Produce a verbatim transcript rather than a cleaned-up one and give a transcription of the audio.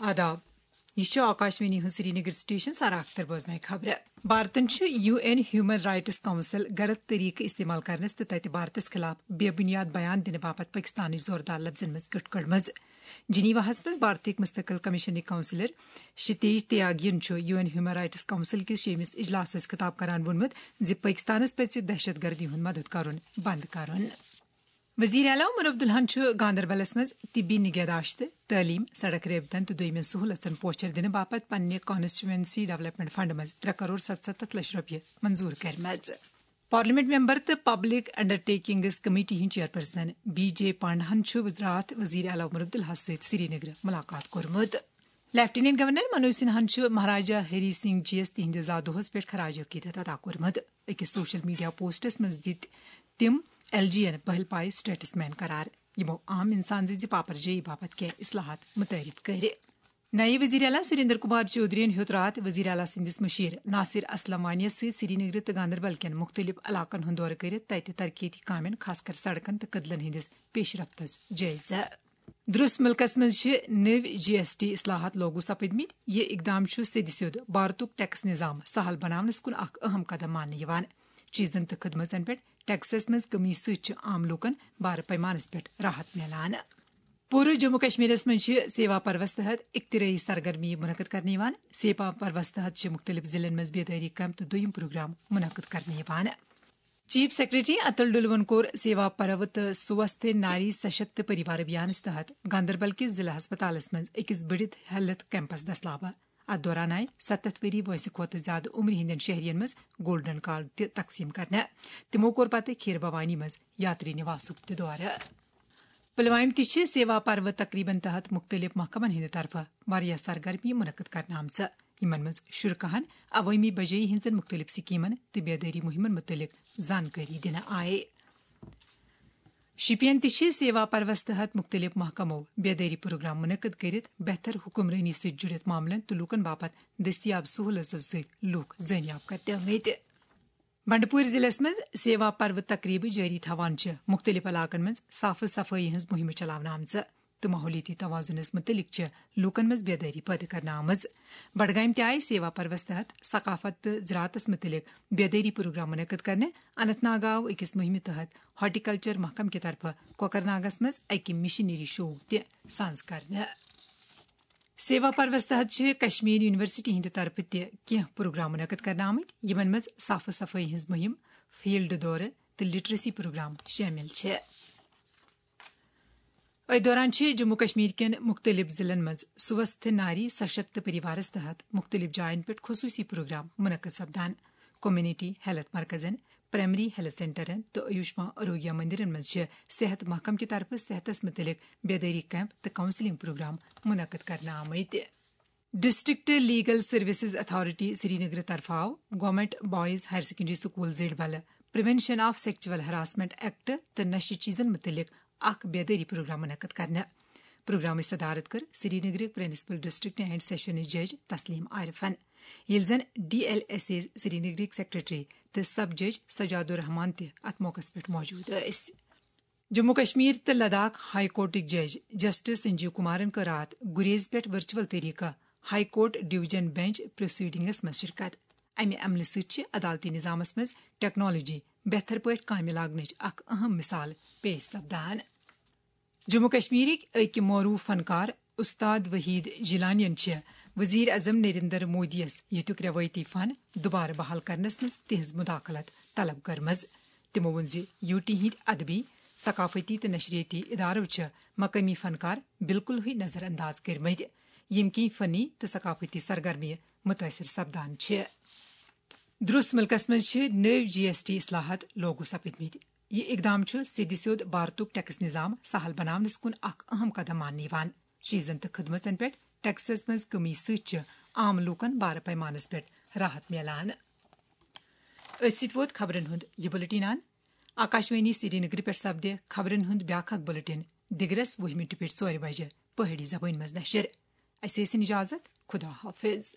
آداب۔ یہِ چھُ آکاشوانی ہُنٛد سرینگر سٹیشن۔ سارا اختر بوزناوِ خبرٕ۔ بھارتن چھُ U N human rights council غلط طریقہٕ استعمال کرنس تہٕ تتہِ بھارتس خلاف بے بنیاد بیان دِنہٕ باپتھ پٲکستانٕچ زوردار لفظن منٛز کٔٹ کٔڑمٕژ۔ جنیواہس منٛز بھارتٕکۍ مستقل کمیشنٕکۍ کونسلر شتیج تیاگین چھُ U N human rights council کِس شیٚیمِس اجلاسس خطاب کران ووٚنمُت زِ پٲکستانس پزِ دہشت گردی ہُنٛد مدد کرُن بند کرُن۔ وزیر اعلیٰ عمر عبداللہن چھُ گاندربلس منٛز طبی نگہداشت، تعلیم، سڑک رٲبطن تہٕ دوٚیمٮ۪ن سہوٗلژن پوچھر دِنہٕ باپتھ پننہِ کانسٹیچوئنسی ڈیولپمنٹ فنڈ منٛز ترٛےٚ کرور ستستھ لچھ رۄپیہِ منظور کٔرمٕژ۔ پارلیمنٹ ممبر تہٕ پبلک انڈرٹیکنگز کمیٹی ہٕنٛدۍ چیئرپرسن بی جے پانڈاہن چھُ راتھ وزیر اعلیٰ عمر عبداللہس سۭتۍ سرینگرٕ ملاقات کوٚرمُت۔ لیفٹیننٹ گورنر منوج سنہاہن چھُ مہاراجا ہری سنگھ جی یس تِہنٛدِ زا دۄہس پٮ۪ٹھ خراج عقیدت ادا کوٚرمُت۔ أکِس سوشل میڈیا پوسٹس منٛز دِتۍ تِم ایل جی یَن پہل پایہِ سٹیٹس مین قرار، یِمو عام انسان سٕنٛزِ پاپرجٲیی باپتھ کینٛہہ اصلاحات متعارف کٔرۍ۔ نایب وزیر اعلیٰ سریندر کمار چودھرین ہیوٚت راتھ وزیر اعلیٰ سٕنٛدِس مشیر ناصر اسلم وانی یَس سۭتۍ سرینگرٕ تہٕ گاندربل کٮ۪ن مُختٔلِف علاقن ہُنٛد دورٕ کٔرِتھ تَتہِ ترقیتی کامٮ۪ن، خاص کر سڑکن تہٕ کدلن ہٕنٛدِس پیش رفتس جٲیزٕ۔ درست مُلکس منٛز چھِ نٔوۍ جی ایس ٹی اصلاحات لاگو سپدمٕتۍ۔ یہِ اقدام چھُ سیٚدِ سیوٚد بھارتُک ٹیکس نظام سہل بناونس کُن اکھ اہم قدم ماننہٕ یِوان۔ چیزن تہٕ خدمژن پٮ۪ٹھ ٹیکسس منٛز کمی سۭتۍ چھِ عام لوٗکن بارٕ پیمانس پٮ۪ٹھ راحت میلان۔ پوٗرٕ جموں کشمیرس منٛز چھِ سیوا پروَس تحت اختراعی سرگرمی منعقد کرنہٕ یِوان۔ سیوا پروَس تحت چھِ مُختٔلِف ضلعن منٛز بیدٲری کیمپ تہٕ دوٚیِم پروگرام منعقد کرنہٕ یِوان۔ چیف سیکرٹری اتل ڈلون کوٚر سیوا پرو تہٕ سوستھ ناری سشکت پریوار ابھیانس تحت گاندربل کِس ضلع ہسپتالس منٛز أکِس بٔڑِتھ ہیلتھ کیمپس دستلابہٕ۔ اتھ دوران آیہِ ستتھ ؤری وٲنٛسہِ کھۄتہٕ زیادٕ عمرِ ہٕنٛدٮ۪ن شہرین منٛز گولڈن کارڈ تہِ تقسیٖم کرنہٕ۔ تِمو کوٚر پتہٕ کھیٖر بھوانی منٛز یاتری نواسُک تہِ دورٕ۔ پلوامہِ تہِ چھِ سیوا پرو تقریبن تحت مُختٔلِف محکمن ہٕنٛدِ طرفہٕ واریاہ سرگرمی منعقد کرنہٕ آمژٕ، یِمن منٛز شرکاہن عوٲمی بجٲیی ہٕنٛزن مُختٔلِف سکیمن تہٕ بیدٲری مُہِمن مُتعلق زانکٲری دِنہٕ آیہِ۔ شُپین تہِ چھِ سیوا پروَس تحت مُختٔلِف محکمو بیدٲری پروگرام منعقد کٔرِتھ بہتر حکمرٲنی سۭتۍ جُڑِتھ معاملن تہٕ لوٗکن باپتھ دٔستیاب سہوٗلژو سۭتۍ لوٗکھ زٲنیاب کرنٲومٕتۍ۔ بنڈپور ضلعس منٛز سیوا پرو تقریبہٕ جٲری تھاوان چھِ مُختٔلِف علاقن منٛز صاف صفٲیی ہٕنٛز مُہِمہٕ چلاونہٕ آمژٕ تہٕ ماحولیٲتی توازنس مُتعلق چھِ لوٗکن منٛز بیدٲری پٲدٕ کرنہٕ آمٕژ۔ بڈگامہِ تہِ آیہِ سیوا پروَس تحت ثقافت تہٕ زراعتس مُتعلق بیدٲری پروگرام منعقد کرنہٕ۔ اننت ناگ آو أکِس مُہِمہِ تحت ہارٹیکلچر محکمہٕ کہِ طرفہٕ کۄکرناگس منٛز اکہِ مشنری شو تہِ سانز کرنہٕ۔ سیوا پروَس تحت چھِ کشمیر یونیورسٹی ہٕنٛدِ طرفہٕ تہِ کینٛہہ پروگرام منعقد کرنہٕ آمٕتۍ، یِمن منٛز صاف صفٲیی ہٕنٛز مُہِم، فیلڈ دورٕ تہٕ لٹریسی پروگرام شٲمِل چھِ۔ أتھۍ دوران چھِ جموں کشمیر کٮ۪ن مُختٔلِف ضلعن منٛز سوستھ ناری سشکت پریوارس تحت مُختٔلِف جاین پٮ۪ٹھ خصوٗصی پروگرام منعقد سپدان۔ کمیونٹی ہیلتھ مرکزن، پرائمری ہیلتھ سینٹرن تہٕ آیوشمان آروگیہ مندرن منٛز چھِ صحت محکمہٕ کہِ طرفہٕ صحتس مُتعلق بیدٲری کیمپ تہٕ کاؤنسلنگ پروگرام منعقد کرنہٕ آمٕتۍ۔ District legal services authority Srinagar طرفہٕ آو government boys higher secondary school Zadibal prevention of sexual harassment act تہٕ نشہٕ چیزن مُتعلق اکھ بیدٲری پروگرام منعقد کرنہٕ۔ پروگرامٕچ صدارت کٔر سرینگرٕکۍ پرنسپل ڈسٹرکٹ اینڈ سیشنز جج تسلیم عارفن، ییٚلہِ زن ڈی ایل ایس اے سرینگرٕکۍ سیکرٹری تہٕ سب جج سجاد الرحمان تہِ اتھ موقعس پٮ۪ٹھ موجود ٲسۍ۔ جموں کشمیر تہٕ لداخ ہائی کورٹٕکۍ جج جسٹس سنجیو کمارن کٔر راتھ گریز پٮ۪ٹھ ورچوئل طریقہٕ high court division bench proceedings منٛز شرکت۔ امہِ عملہٕ سۭتۍ چھِ عدالتی نظامس منٛز ٹیکنالوجی بہتر پٲٹھۍ کامہِ لاگنٕچ اکھ اہم مثال پیش سپدان۔ جموں کشمیرٕکۍ أکۍ معروف فنکار استاد وحید جیلانین چھِ وزیر اعظم نریندر مودی یس ییٚتیُک روایتی فن دوبارٕ بحال کرنس منٛز تِہنٛز مداخلت طلب کٔرمٕژ۔ تِمو ووٚن زِ یو ٹی ہٕنٛدۍ ادبی، ثقافتی تہٕ نشریٲتی ادارو چھِ مقٲمی فنکار بالکلٕے نظر انداز کٔرمٕتۍ، ییٚمہِ کِنۍ فنی تہٕ ثقافتی سرگرمیہِ متٲثر سپدان چھِ۔ درست مُلکس منٛز چھِ نٔوۍ جی ایس ٹی اصلاحات لاگو سپدمٕتۍ۔ یہِ اقدام چھُ سیٚدِ سیوٚد بھارتُک ٹیکس نظام سہل بناونس کُن اکھ اہم قدم ماننہٕ یِوان۔ چیزن تہٕ خدمژن پٮ۪ٹھ ٹیکسس منٛز کمی سۭتۍ چھِ عام لوٗکن بارٕ پیمانس پٮ۪ٹھ راحت میلان۔ أتھۍ سۭتۍ ووت خبرن ہُنٛد یہِ بُلٹن اند۔ آکاشوانی سرینگرٕ پٮ۪ٹھ سپدِ خبرن ہُنٛد بیٛاکھ اکھ بُلٹن دِگرس وُہہِ مِنٹہِ پٮ۪ٹھ ژورِ بجہِ پہٲڑی زبٲنۍ منٛز نشر۔ اسہِ ٲسِن اجازت، خدا حافظ۔